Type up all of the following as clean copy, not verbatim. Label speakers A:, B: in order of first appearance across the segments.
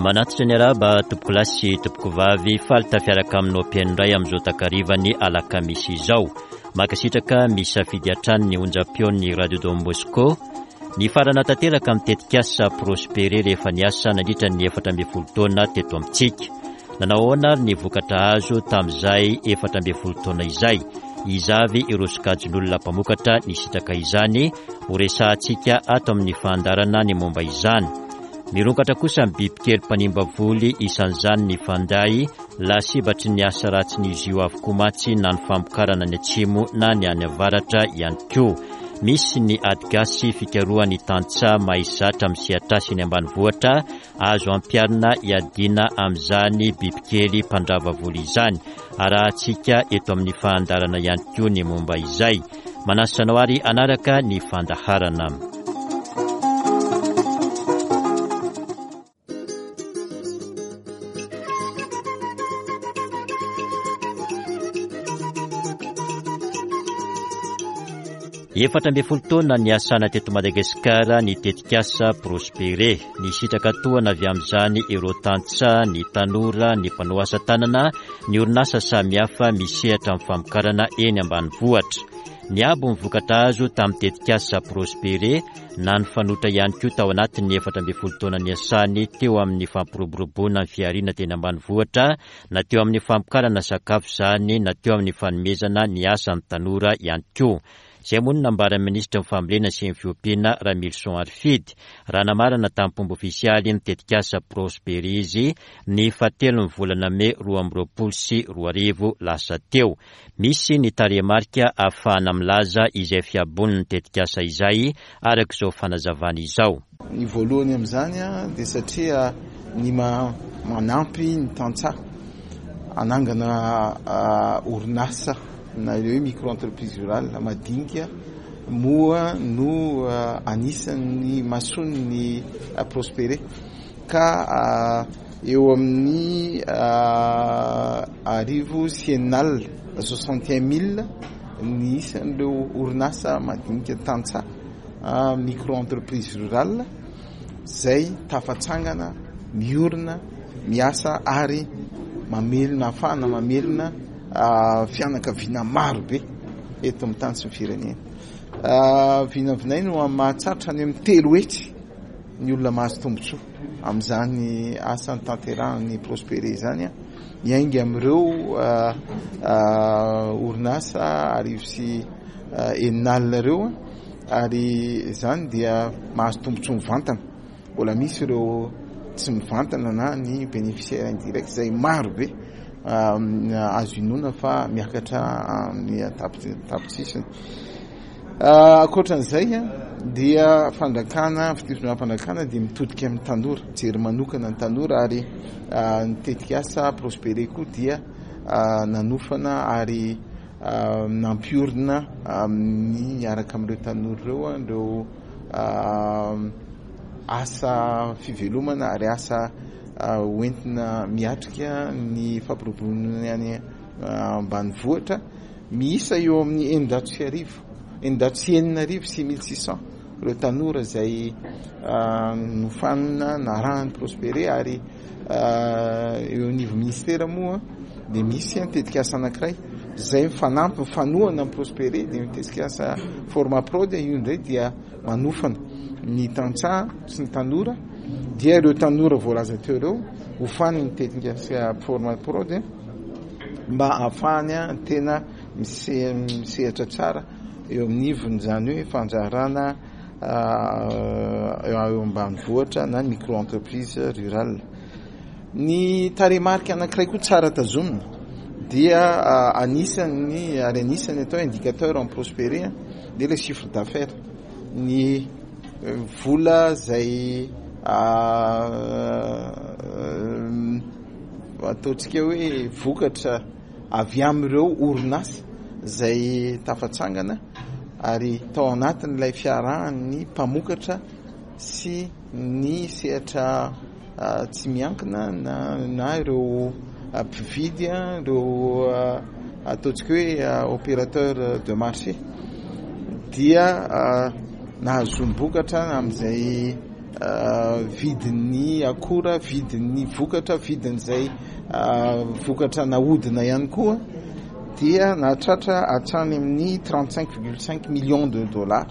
A: Manatitra ny arahaba tompokolahy sy tompokovavy, faly tafiaraka aminao mpihaino indray amin'izao takarivan'ny alakamisy izao. Mankasitraka misafidy hatrany ny onjam-peon'ny Radio Don Bosco. Nifarana tanteraka amin'ny tetikasa Prospere rehefa niasa nandritra ny 14 taona teto amintsika. Nanao ahoana ary ny vokatra azo tamin'izay 14 taona izay? Iza avy ireo sokajin'olona mpamokatra nisitraka izany? Horesahantsika ato amin'ny fandaharana ny momba izany. Mirongatra kosa ny bibikely mpanimba voly, isan'izany ny fanday, lasibatry ny asa ratsin'izy io avokoa mantsy na ny famokarana any atsimo na ny any avaratra ihany koa. Misy ny ady gasy fikarohan'ny tantsaha mahay zatra amin'ny sehatr'asa eny ambanivohitra azo ampiharina hiadiana amin'izany bibikely mpandrava voly izany. Arahantsika eto amin'ny fandaharana ihany koa ny momba izay. Manasa anao ary hanaraka ny fandaharana. 14 taona niasana teto Madagasikara ny tetikasa Prospere. Nisitraka tohana avy amin'izany ireo tantsaha, ny tanora, ny mpanao asa tanana, ny orinasa samihafa misehatra amin'ny famokarana eny ambanivohitra. Niabo ny vokatra azo tamin'ny tetikasa Prospere na nifanotra ihany koa tao anatin'ny 14 taona niasany teo amin'ny fampiroboroboana ny fihariana teny ambanivohitra na teo amin'ny famokarana sakafo izany na teo amin'ny fanomezana ny asa ny tanora ihany koa. Izay moa no nambaran'ny minisitry ny Fambolena sy ny Fiompiana, Ramilison Harifidy, raha namarana tamim-pomba ofisialy ny tetikasa Prosperi izy ny fahatelon'ny volana mey 2022 lasa teo. Misy ny tarehimarika ahafahana milaza izay fihabonin'ny tetikasa izay, araka izao fanazavana izao.
B: Ny voalohany amin'izany dia satria ny manampy ny tantsaha hanangana orinasa na ireo hoe micro entreprise rurale madinika moa no anisan'ny mason'ny Prospere ka eo amin'ny 660 61 mille ny isan'ireo orinasa madinika tantsaha micro entreprise rurale izay tafatsangana, miorina, miasa ary mamelona ahafahana mamelona fianakaviana maro be eto amin'ny tany sy ny firenena. Vinavinaina ho amin'ny mahatsatra any amin'ny 300 ny olona mahazo tombontsoa amin'izany asa notanterahan'ny Prospere izany, miainga amin'ireo orinasa 660 ireo ary izany dia mahazo tombontsoa mivantana. Mbola misy ireo tsy mivantana na ny bénéficiaire indirect izay maro be azo inoana fa miakatra amin'ny tapitrisany. Ankoatran'izay dia fanjakana, fitondram-panjakana dia mitodika amin'ny tanora, mijery manokana ny tanora ary ny tetikasa Prospere koa dia nanofana ary nampiorina amin'ny miaraka amin'ireo tanora ireo ireo asa fivelomana ary asa hoentina miatrika ny fampiroboroboana any ambanivohitra miisa eo amin'ny 1600, 6600, 6600 ireo tanora izay nofanina narahan'ny Prospere ary eo anivon'ny ministera moa dia misy tetikasa anankiray izay mifanampy mifanohana amin'ny Prospere dia ny tetikasa Formaprod io indray dia manofana ny tantsaha sy ny tanora dia ireo tanora voalaza teo ireo hofanin'ny tetikasa Formaprod mba ahafahany tena misehatra tsara eo amin'ivon'izany hoe fandraharahana eo ambanivohitra na micro entreprise rurale. Ny tarehimarika anankiray koa tsara tazomina dia anisan'ny ary anisan'ny atao indicateur en Prospere dia ilay chiffre d'affaires, ny vola izay ataontsika hoe vokatra avy amin'ireo orinasa izay tafatsangana ary tao anatin'ilay fiarahan'ny mpamokatra sy ny sehatra tsy miankina na ireo mpividy, ireo ataontsika hoe opérateur de marché dia nahazoam-bokatra amin'izay. vidin'ny akora, vidin'ny vokatra, vidin'izay vokatra nahodina ihany koa dia nahatratra hatrany amin'ny 35,5 millions de dollars,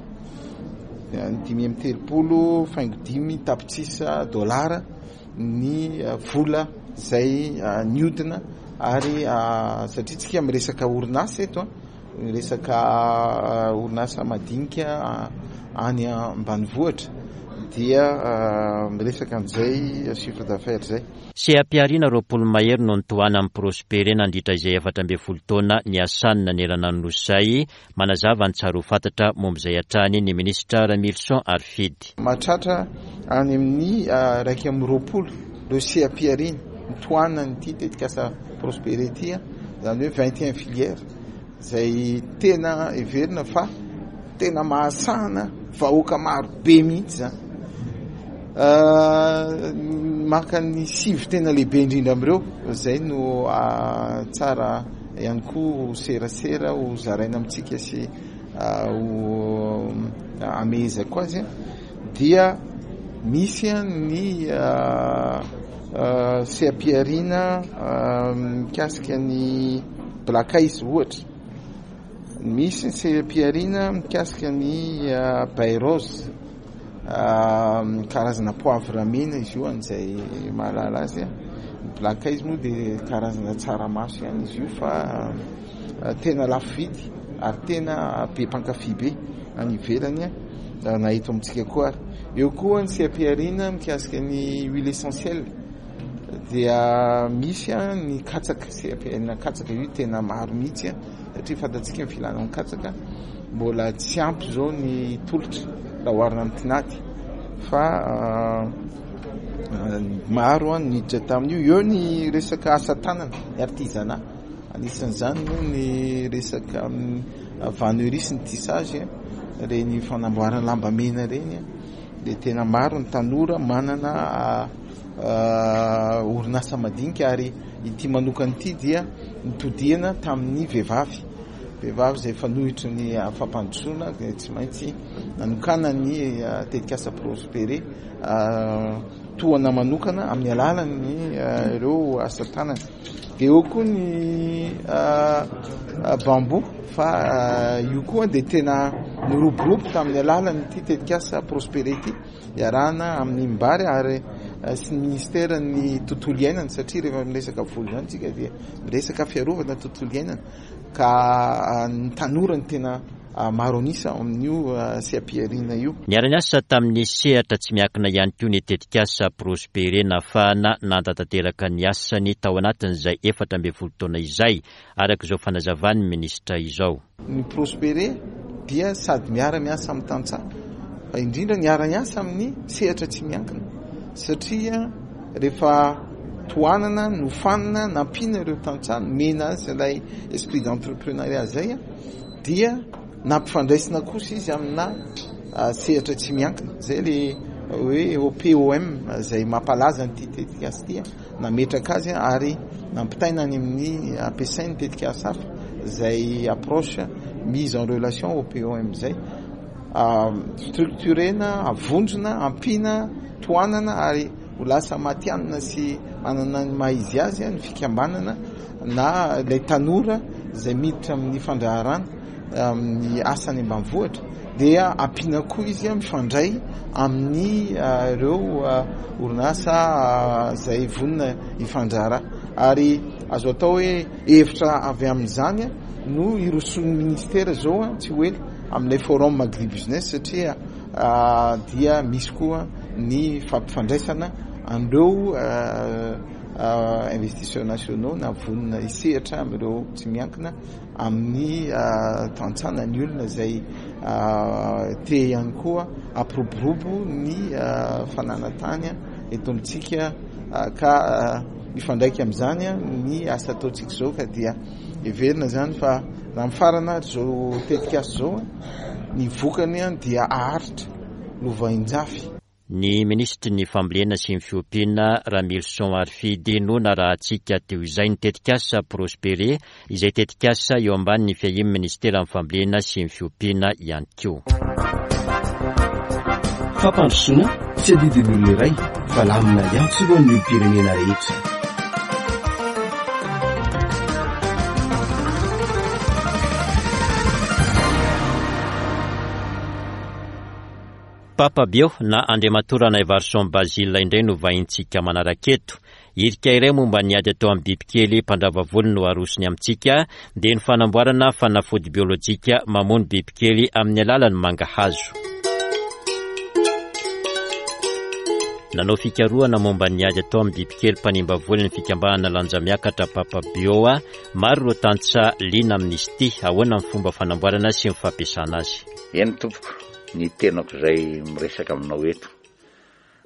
B: 35,5 tapitrisa dolara ny vola izay nihodina ary satria tsika miresaka orinasa eto, Resaka orinasa madinika any ambanivohitra dia miresaka an'izay chiffre d'affaires izay.
A: Seha-pihariana 20 mahery no nitohanan'i Prospere nandritra izay 14 taona niasany nanerana ny Nosy izay. Manazava ny tsara ho fantatra momba izay hatrany ny minisitra Ramilison Harifidy.
B: Mahatratra any amin'ny 21 ireo seha-pihariana nitohanan'ity tetikasa Prospere ity, izany hoe 21 filières. Izay tena heverina fa tena mahasahana vahoaka maro be mihitsy izany. Maka ny sivy tena lehibe indrindra amin'ireo, izay no tsara ihany koa ho serasera ho zaraina amintsika sy ho amehezako azy dia misy ny seha-pihariana mikasika ny Black Ice ohatra, misy ny seha-pihariana mikasika ny baie rose, karazana poivre mena izy io an'izay mahalala azy. Ny Black Ice moa dia karazana tsaramaso ihany izy io fa tena lafo vidy ary tena be mpankafy be any ivelany na eto amintsika koa ary. Eo koa ny seha-pihariana mikasika ny huile essentielle dia misy ny katsaka, seha-pihariana katsaka io tena maro mihitsy satria fantatsika ny filana ny katsaka, mbola tsy ampy izao ny tolotra raha oharina amin'ny tinady fa maro ny niditra tamin'io. Eo ny resaka asa tanana, ny artisanat, anisan'izany moa ny resaka vannerie sy ny tissage, ireny fanamboarana lamba mena ireny dia tena maro ny tanora manana orinasa madinika ary ity manokana ity dia nitodihana tamin'ny vehivavy, vehivavy izay efa nohitry ny fampandrosoana dia tsy maintsy nanokana ny tetikasa Prospere tohana manokana amin'ny alalan'ny ireo asa tanana. Dia eo koa ny bambou fa io koa dia tena niroborobo tamin'ny alalan'ity tetikasa Prospere ity iarahana amin'ny Mbary ary sy ny ministeran'ny tontolo iainana satria rehefa miresaka voly izany tsika dia miresaka fiarovana tontolo iainana ka ny tanora no tena maro an'isa ao amin'io seha-pihariana io.
A: Niara-niasa tamin'ny sehatra tsy miankina ihany koa ny tetikasa Prospere nahafahana nanatanteraka ny asany tao anatin'izay 14 taona izay, araka izao fanazavan'ny minisitra izao.
B: Ny Prospere dia sady miara-miasa amin'ny tantsaha fa indrindra niara-niasa amin'ny sehatra tsy miankina satria rehefa tohanana, nofanina, nampiana ireo tantsaha, nomena azy ilay esprit d'entrepreneuriat izay dia nampifandraisina kosa izy amina sehatra tsy miankina. Izay ilay hoe OPOM izay mampalaza an'ity tetikasa ity, nametraka azy ary nampitaina any amin'ny ampiasain'ny tetikasa hafa izay approche mise en relation OPOM izay. Structurena, avonjona, ampiana, tohanana ary ho lasa matihanina sy manana ny maha izy azy ny fikambanana na ilay tanora izay miditra amin'ny fandraharana amin'ny asa any ambanivohitra dia ampiana koa izy mifandray amin'ny ireo orinasa izay vonona hifandraharaha ary azo atao hoe hevitra avy amin'izany no hirosoan'ny ministera izao tsy ho ela amin'ilay forum agribusiness satria dia misy koa ny fampifandraisana an'ireo investisseurs nationaux na vonona hisehatra amin'ireo tsy miankina amin'ny tantsaha na ny olona izay te ihany koa hampiroborobo ny fananantany eto amintsika ka mifandraika amin'izany ny asa ataontsika izao ka dia heverina izany fa raha mifarana ary izao tetikasa izao ny vokany dia haharitra lovainjafy.
A: Ny minisitry ny Fambolena sy ny Fiompiana, Ramilison Harifidy, no narahantsika teo izay ny tetikasa Prospere, izay tetikasa eo ambanin'ny fiahian'ny minisiteran'ny Fambolena sy ny Fiompiana ihany koa.
C: Fampandrosoana tsy adidin'ny olona iray fa lamina iantsorohan'ny olom-pirenena rehetra.
A: Papa Bio na Andriamatoa Ranaivarison Basile indray no vahintsika manaraka eto. Hirika iray momba ny ady atao amin'ny bibikely mpandrava volo no arosony amintsika, dia ny fanamboarana fanafody biolojika mamono bibikely amin'ny alalan'ny mangahazo. Nanao fikarohana momba ny ady atao amin'ny bibikely mpanimba voly ny fikambanana Lanjamiakatra Papa Bio. Maro ireo tantsaha liana amin'izy ity. Ahoana ny fomba fanamboarana sy ny fampiasana azy?
D: Eny tompoko, ny tenako izay miresaka aminao eto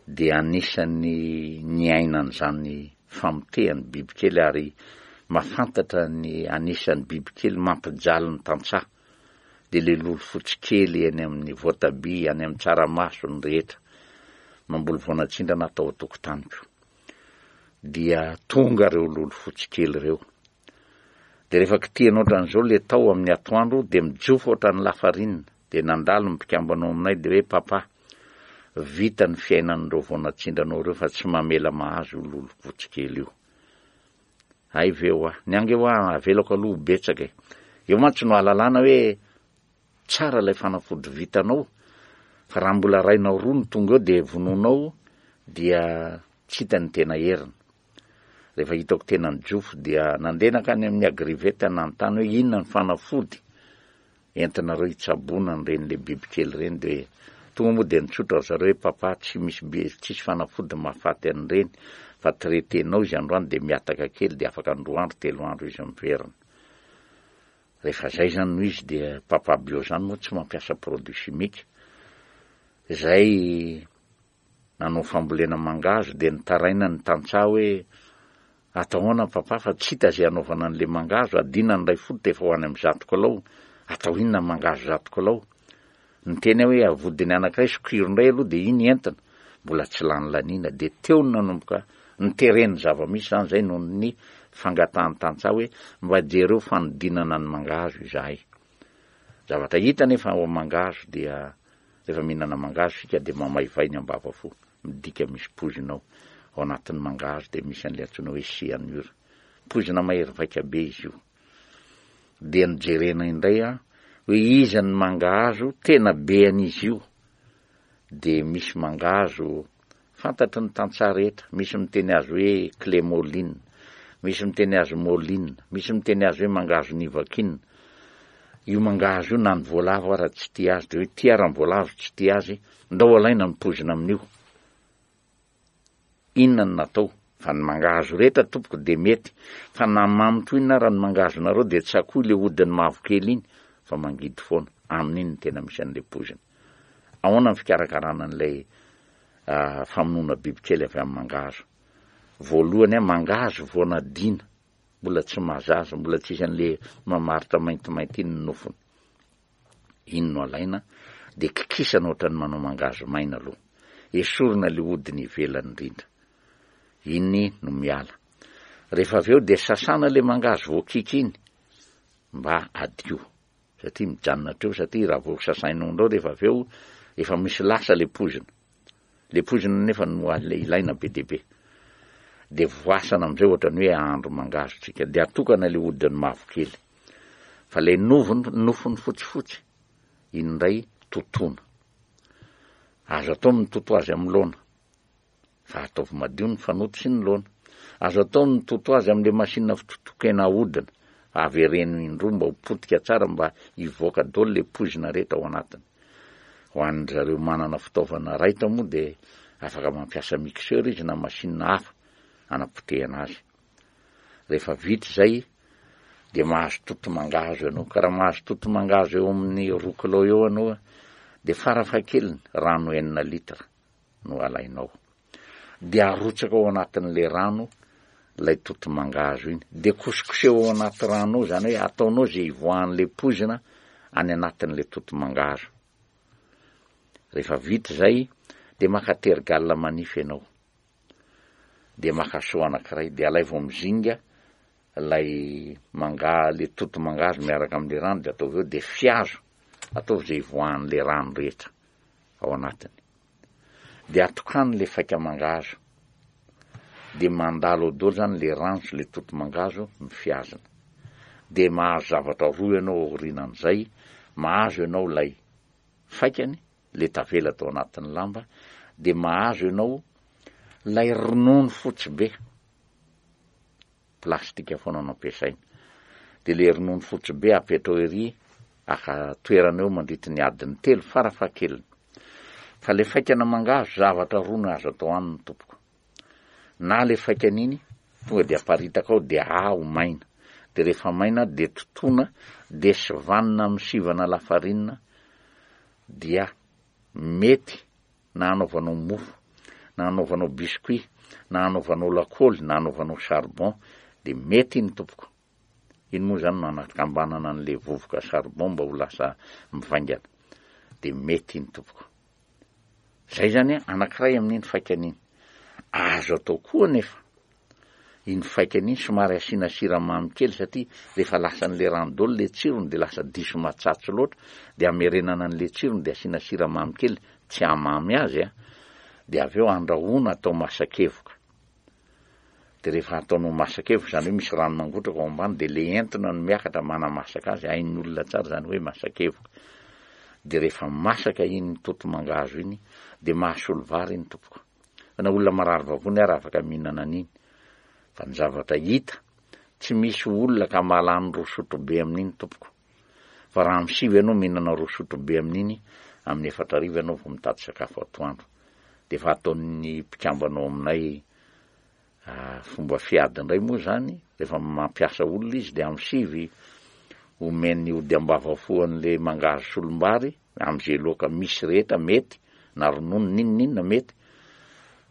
D: dia anisan'ny niaina an'izany famotehan'ny bibikely ary mahafantatra ny anisan'ny bibikely mampijaly ny tantsaha dia le lolo fotsy kely eny amin'ny voatabia, any amin'ny tsaramaso ny rehetra. Mamboly voanatsindrana aho tao an-tokotaniko. Dia tonga ireo lolo fotsy kely ireo. Dia rehefa kitihana ohatran'izao le tao amin'ny atoandro dia mijofo ohatran'ny lafarinina. Dia nandalo ny mpikambana ao aminay dia hoe papa, vita ny fiainan'ireo vao natsindranao ireo fa tsy mamela mahazo io lolompotsy kely io. Hay ve hoa. Ny ange hoa avelako aloha ho betsaka e. Eo mantsy no ahalalana hoe tsara ilay fanafody vitanao fa raha mbola rainao roa no tonga eo dia vonoinao dia tsy hita ny tena heriny. Rehefa hitako tena nijofo dia nandeha nankany amin'ny agrivet nanontany hoe inona ny fanafody entinareo hitsaboana an'ireny le bibikely ireny dia tonga moa dia nitsotra ry zareo hoe papa tsy misy bi tsisy fanafody mahafaty an'ireny fa traiter-nao izy androany dia mihataka kely dia afaka ny roa andro telo andro izy miverina. Rehefa zay zany no izy dia papa bio zany moa tsy mampiasa produit chimique zay Nanao fambolena mangahazo dia nitaraina ny tantsaha hoe atao ahoana papa fa tsy hita izay hanaovana an'ilay mangahazo, adina ny iray fototra efa ho any amin'ny zato kilao, atao inona ny mangahazo zato kilao? Niteny aho hoe avodiny anankiray sokiro indray aloha dia iny entina, mbola tsy lany laniana, dia teo no nanomboka niterena ny zava-misy izany izay noho ny fangatahan'ny tantsaha hoe mba jereo fanodinana ny mangahazo izahay. Zavatra hita anefa ao amin'ny mangahazo dia Rehefa mihinana mangahazo isika dia mamaivay ny ambavafo, midika misy poizina ao. Ao anatin'ny mangahazo dia misy an'ilay antsoina hoe cyanure. Poizina mahery vaika be izy io. Dia nojerena indray aho hoe iza ny mangahazo tena be an'izy io. Dia misy mangahazo Fantatry ny tantsaha rehetra, misy miteny azy hoe clémoline, misy miteny azy moline, misy miteny azy hoe mangahazo nivakin. Io mangahazo io na ny voalavo ara tsy tia azy, dia hoe tia ara ny voalavo tsy tia azy, ndao alaina ny poizina amin'io. Inona no natao? Fa ny mangahazo rehetra tompoko dia mety, fa na mamy toy inona ara ny mangahazonareo dia tsakoy le hodiny mavokely iny fa mangidy foana, amin'iny no tena misy an'le poizina. Ahoana ny fikarakarana an'ilay famonoana bibikely avy amin'ny mangahazo? Voalohany, mangahazo vao nadiana, mbola tsy mahazaza, mbola tsy hisy an'ilay mamaritra maintimainty iny ny nofony. Iny no alaina, dia kikisana ohatran'ny manao mangahazo maina aloha. Esorina ilay hodiny ivelany indrindra. Iny no miala. Rehefa avy eo dia sasana ilay mangahazo voakiky iny mba hadio. Satria mijanona hatreo satria raha vao sasainao indreo rehefa avy eo efa misy lasa le poizina. Le poizina nefa no ilaina be dia be. Dia voasana amin'izay ohatran'ny hoe ahandro mangahazo tsika. Dia atokana le hodiny mavokely. Fa le novony, nofony fotsifotsy, iny indray totoina. Azo atao ny mitoto azy amin'ny laona. Fa ataovy madio ny fanoto sy ny laona. Azo atao ny mitoto azy amin'ilay machine fitotoan-kena ahodina. Avereno indroa mba ho potika tsara mba hivoaka daholo ilay poizina rehetra ao anatiny. Ho an-dry zareo manana fitaovana raitra moa dia afaka mampiasa mixeur izy na machine hafa hanapotehana azy. Rehefa vita izay dia mahazo toto mangahazo ianao. Ka raha mahazo toto mangahazo eo amin'ny roa kilao eo ianao dia farafahakeliny rano enina litre. no alainao. Dia arotsaka ao anatin'ilay rano ilay toto-mangahazo iny. Dia kosokoseho ao anaty rano ao, izany hoe ataonao izay hivoahan'ilay poizina any anatin'ilay toto-mangahazo. Rehefa vita izay, dia maka tergal manify ianao. Dia maka seau anankiray, dia alaivo amin'ny zinga ilay manga, ilay toto-mangahazo miaraka amin'ilay rano, dia ataovy eo, dia fihazo, ataovy izay hivoahan'ilay rano rehetra ao anatiny. Dia atokano le faika mangahazo. Dia mandalo ao daholo zany le rano sy le toto mangahazo ny fihazana. Dia mahazo zavatra roa ianao aorianan'izay, mahazo ianao ilay faikany, le tavela tao anatin'ny lamba, dia mahazo ianao ilay ronono fotsy be. Plastika foana no ampiasaina. Dia le ronono fotsy be apetrao ery aka toerana eo mandritry ny adiny telo farafahakeliny. Fa le faikana mangahazo zavatra roa no azo atao aminy tompoko. Na le faikana iny tonga dia aparitaka ao dia aho maina. Dia rehefa maina dia totoina dia sivanina amin'ny sivana lafarinina dia mety na hanaovanao mofo, na hanaovanao biscuit, na hanaovanao lakôly, na hanaovanao charbon, dia mety iny tompoko. Iny moa izany no anakambanana an'ilay vovoka charbon mba ho lasa mivaingana. Dia mety iny tompoko. Izay izany an, anankiray amin'iny faikany iny. Azo atao koa anefa iny faikany iny somary asiana siramamy kely satria rehefa lasan'ilay rano daholo ilay tsirony dia lasa diso matsatso loatra dia amerenana an'ilay tsirony dia asiana siramamy kely tsy hamamy azy an, dia avy eo andrahoina atao masakevoka. Dia rehefa ataonao masakevoka izany hoe misy rano mangotraka ao ambany dia ilay entona no miakatra manamasaka azy, hain'ny olona tsara izany hoe masakevoka. Dia rehefa masaka iny toto mangahazo iny dia mahasolo vary iny tompoko. Fa na olona marary vavony ary afaka mihinana an'iny. Fa ny zavatra hita, tsy misy olona ka mahalany roa sotrobe amin'iny tompoko. Fa raha amin'ny sivy ianao mihinana roa sotrobe amin'iny, amin'ny 40 ianao vao mitady sakafo atoandro. Dia efa ataon'ny mpikambana ao aminay fomba fiady indray moa izany, rehefa mampiasa olona izy dia amin'ny sivy omeny ody am-bavafo an'ilay mangahazo solombary, amin'izay loaka misy rehetra mety, na ronono n'inon'inona mety,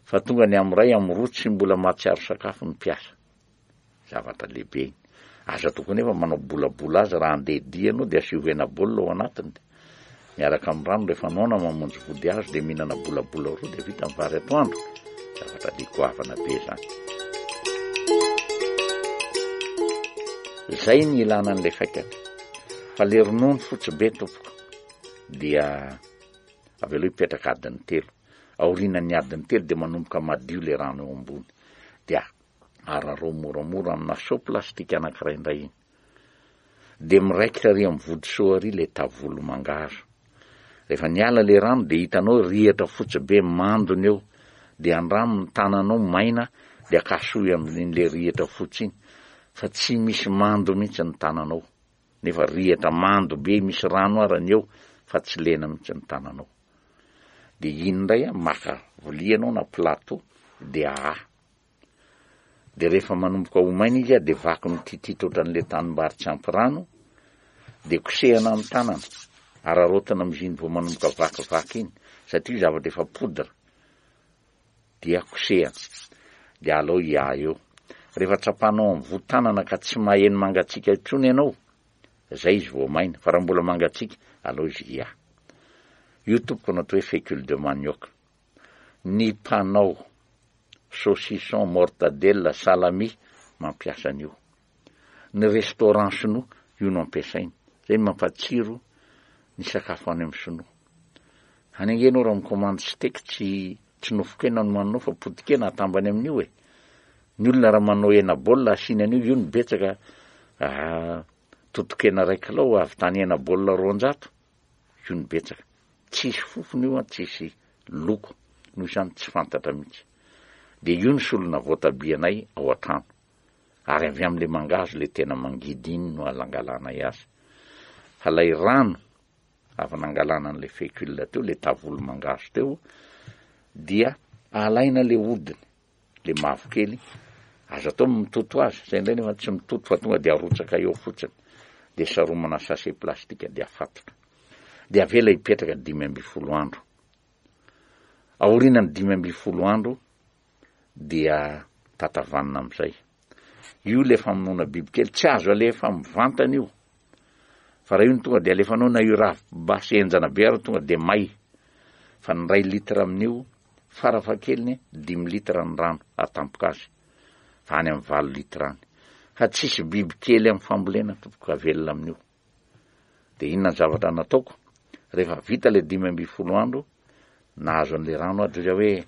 D: fa tonga ny amin'ny iray, amin'ny roa tsy mbola mahatsiaro sakafo ny mpiasa. Zavatra lehibe iny. Aza atao koa nefa manao bolabola azy raha andeha dia ianao dia asio hena baolina ao anatiny dia miaraka amin'ny rano rehefa noana mamonjy vody hazo dia mihinana bolabola roa dia vita ny vary atoandro. Zavatra le goavana be izany. Zay ny ilana an'ilay faikany. Fa le ronono fotsy be tompoko dia avelao hipetraka adiny telo. Aorianan'ny adiny telo dia manomboka madio le rano eo ambony. Dia ararao moramora amina seau plastique anankiray indray iny. Dia miraikitra ary amin'ny vody seau ary ilay tavolo mangahazo. Rehefa niala ilay rano dia hitanao rihatra fotsy be mandona eo. Dia andramo ny tananao maina dia akasohy amin'ilay rihatra fotsy iny fa tsy misy mando mihitsy ny tananao. Nefa rihatra mando be misy rano ara ny eo fa tsy lena mihitsy ny tananao. Dia iny indray maka vilia ianao na plateau dia ahaha. Dia rehefa manomboka ho maina izy dia vaky mititita ohatran'ilay tanimbary tsy ampy rano, dia kosehana amin'ny tanana, araraotina amin'izy iny vao manomboka vakivaky iny, satria io zavatra efa poudre, dia kosehana, dia alao hiaha eo. Rehefa tsapanao amin'ny voa tanana ka tsy maheno mangatsiaka intsony ianao, zay izy vao maina, fa raha mbola mangatsiaka, alao izy hiaha. Io tompoko no atao hoe fécule de manioc. Ny mpanao saucisson, mortadelle, salami mampiasa an'io. Ny restaurant sinoa io no ampiasainy. Zay no mampatsiro ny sakafo any amin'ny sinoa. Any ange ianao raha mi-commande steak tsy tsy nofon-kena no manao fa poti-kena atambany amin'io e. Ny olona raha manao hena baolina asiany an'io, io no betsaka ah, totokena iray kilao ahavitany hena baolina 200. Io no betsaka. Tsisy fofona io an, tsisy loko, noho izany tsy fantatra mihitsy. Dia io ny solona voatabia anay ao an-trano. Ary avy amin'ilay mangahazo ilay tena mangidy iny no alangalanay azy. Fa ilay rano avy nangalana an'ilay fécule teo, ilay tavolo mangahazo teo, dia alaina ilay hodiny. le mavokely, aza atao ny mitoto azy, zay indray nefa tsy mitoto fa tonga de arotsaka eo fotsiny, de saromana sachet plastique de afatotra, de avela hipetraka 15 andro, aorianan'ny 15 andro dia tatavanina amizay, io le famonoana bibikely tsy azo alefa mivantana io, fa raha io no tonga de alefanao na io ravim-basy henjana be ary tonga de may, fa ny iray litre amin'io Farafahakeliny dimy litre ny rano atampoka azy fa any amin'ny valo litre any. Fa tsisy biby kely amin'ny fambolena tompoko ka velona amin'io. Dia inona ny zavatra nataoko? Rehefa vita ilay 15 andro. Nahazo an'le rano aho dia hoe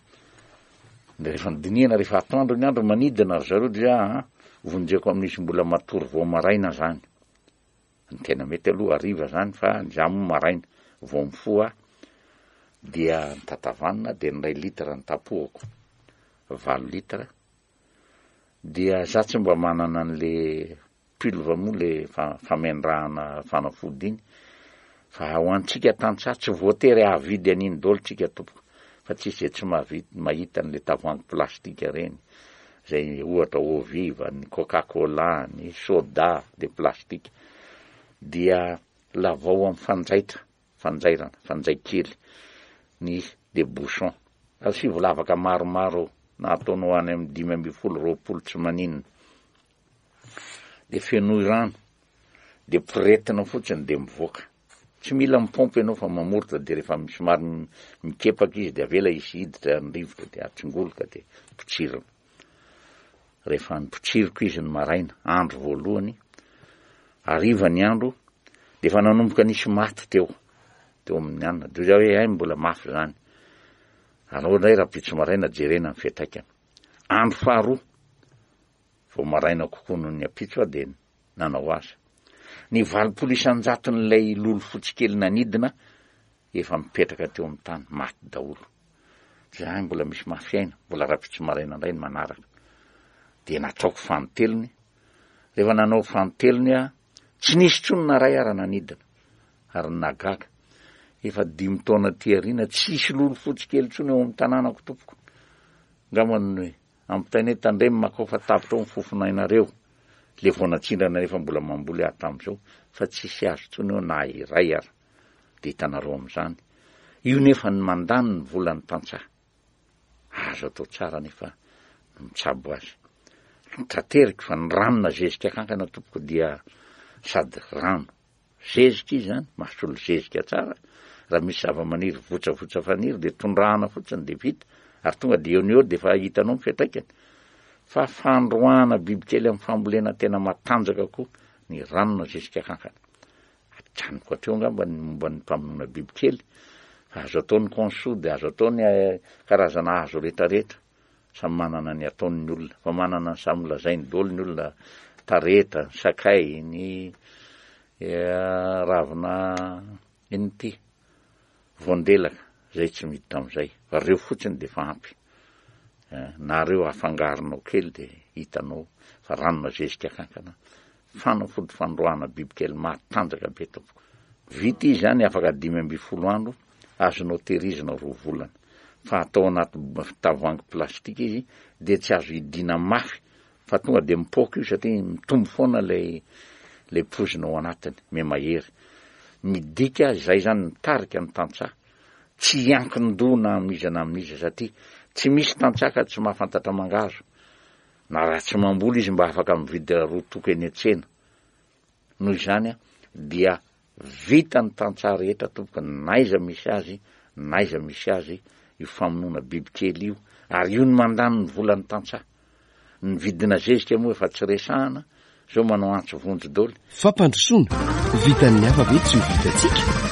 D: rehefa nodinihana rehefa atoandro ny andro manidina ry zareo dia ah, vonjeko amin'izy mbola matory vao maraina zany. Ny tena mety aloha hariva zany fa ny za moa maraina vao mifoha dia nitatavanina dia ny iray litre ny tapohako valo litre dia za tsy mba manana an'le Pulve moa le famendrahana fanafody iny fa ho antsika tantsaha tsy voatery hahavidy an'iny daholo tsika tompoko fa tsisy izay tsy mahavita mahita an'le tavoahangy plastika reny zay ohatra eau vive, ny coca cola, ny soda de plastika dia lavao amin'ny fanjaitra fanjairana fanjay kely ny le bouchon asivo lavaka maromaro na ataonao any amin'ny 15 20 tsy maninona de fenoy rano de poretina fotsiny de mivoaka, tsy mila mipompy ianao fa mamoritra de rehefa somary mikepaka izy de avela hisy hiditra ny rivotra de atsingoloka de potsirina, rehefa nipotsiriko izy ny maraina andro voalohany, hariva ny andro de efa nanomboka nisy maty teo, teo amin'ny anona, de hoy za hoe hay mbola mafy zany, alao indray rahampitso maraina jerena ny fiantraikany, andro faharoa Vao maraina kokoa noho ny ampitso aho dia nanao azy. Ny 80 isan-jaton'ilay lolo fotsy kely nanidina efa mipetraka teo amin'ny tany, maty daholo. Izahay mbola misy mafy aina, mbola rahampitso maraina indray ny manaraka. Dia nataoko fanintelony. Rehefa nanao fanintelony aho, tsy nisy intsony na iray ara nanidina. Ary ny nahagaga, efa dimy taona aty aoriana, tsisy lolo fotsy kely intsony ao amin'ny tanànako tompoko. Angamba ny Ampitaina hoe tandremo makao fa tapitra ao ny fofonainareo, le vao natsindrana nefa mbola mamboly aho tamin'izao fa tsisy azo intsony eo na iray ara de hitanareo amin'izany io nefa ny mandany ny volan'ny tantsaha azo atao tsara nefa ny mitsabo azy trateriko fa ny rano na zezika kankana tompoko dia sady rano Zezika izy zany, mahasolo zezika tsara, raha misy zava-maniry votsavotsa faniry dia tondrahana fotsiny dia vita, ary tonga dia eo no eo dia efa hitanao ny fiantraikany. Fa fandroahana bibikely amin'ny fambolena tena matanjaka koa ny ranona zezika kankana. Ajanoko hatreo angamba ny momba ny mpamonoana bibikely, fa azo atao ny conso dia azo atao ny eh, karazana hazo retraretra. Samy manana ny ataony ny olona, fa manana ny samy lazainy daholo ny olona, tareta, ny sakay, ny ravina inona ity, voandelaka, zay tsy miditra amin'izay, fa reo fotsiny dia efa ampy, na reo afangaronao kely dia hitanao fa ranona zezika kankana, fanafody fandroahana bibikely matanjaka be tompoko. Vita izy zany afaka 15 andro, azonao tehirizina roa volana fa atao anaty tavoahangy plastika izy dia tsy azo hidiana mafy fa tonga dia mipoaka io satria mitombo foana ilay ilay poizina ao anatiny, mihamahery. Midika izay zany mitarika ny tantsaha tsy hiankin-doha na amin'iza na amin'iza satria tsy misy tantsaha ka tsy mahafantatra mangahazo na raha tsy mamboly izy mba afaka mividy roa toko eny an-tsena. Noho izany dia Vita ny tantsaha rehetra tompoko n'aiza misy azy n'aiza misy azy io famonoana bibikely io ary io no mandany ny volan'ny tantsaha. Ny vidina zezika moa efa tsy resahana, zao manao antso vonjy doly.
C: Fampandrosoana, vitan'ny hafa ve tsy ho vitantsika?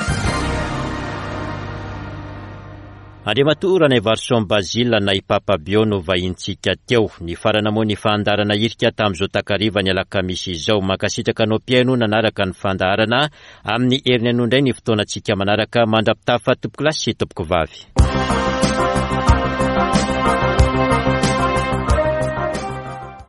A: Andriamatoa Ranaivarison Basile na i Papa Bio no vahintsika teo. Nifarana moa ny fandaharana hirika tamin'izao takariva ny alakamisy izao. Mankasitraka anao mpihaino nanaraka ny fandaharana. Amin'ny heriny anio indray ny fotoanantsika manaraka. Mandra-pitafa tompokolahy sy tompokovavy.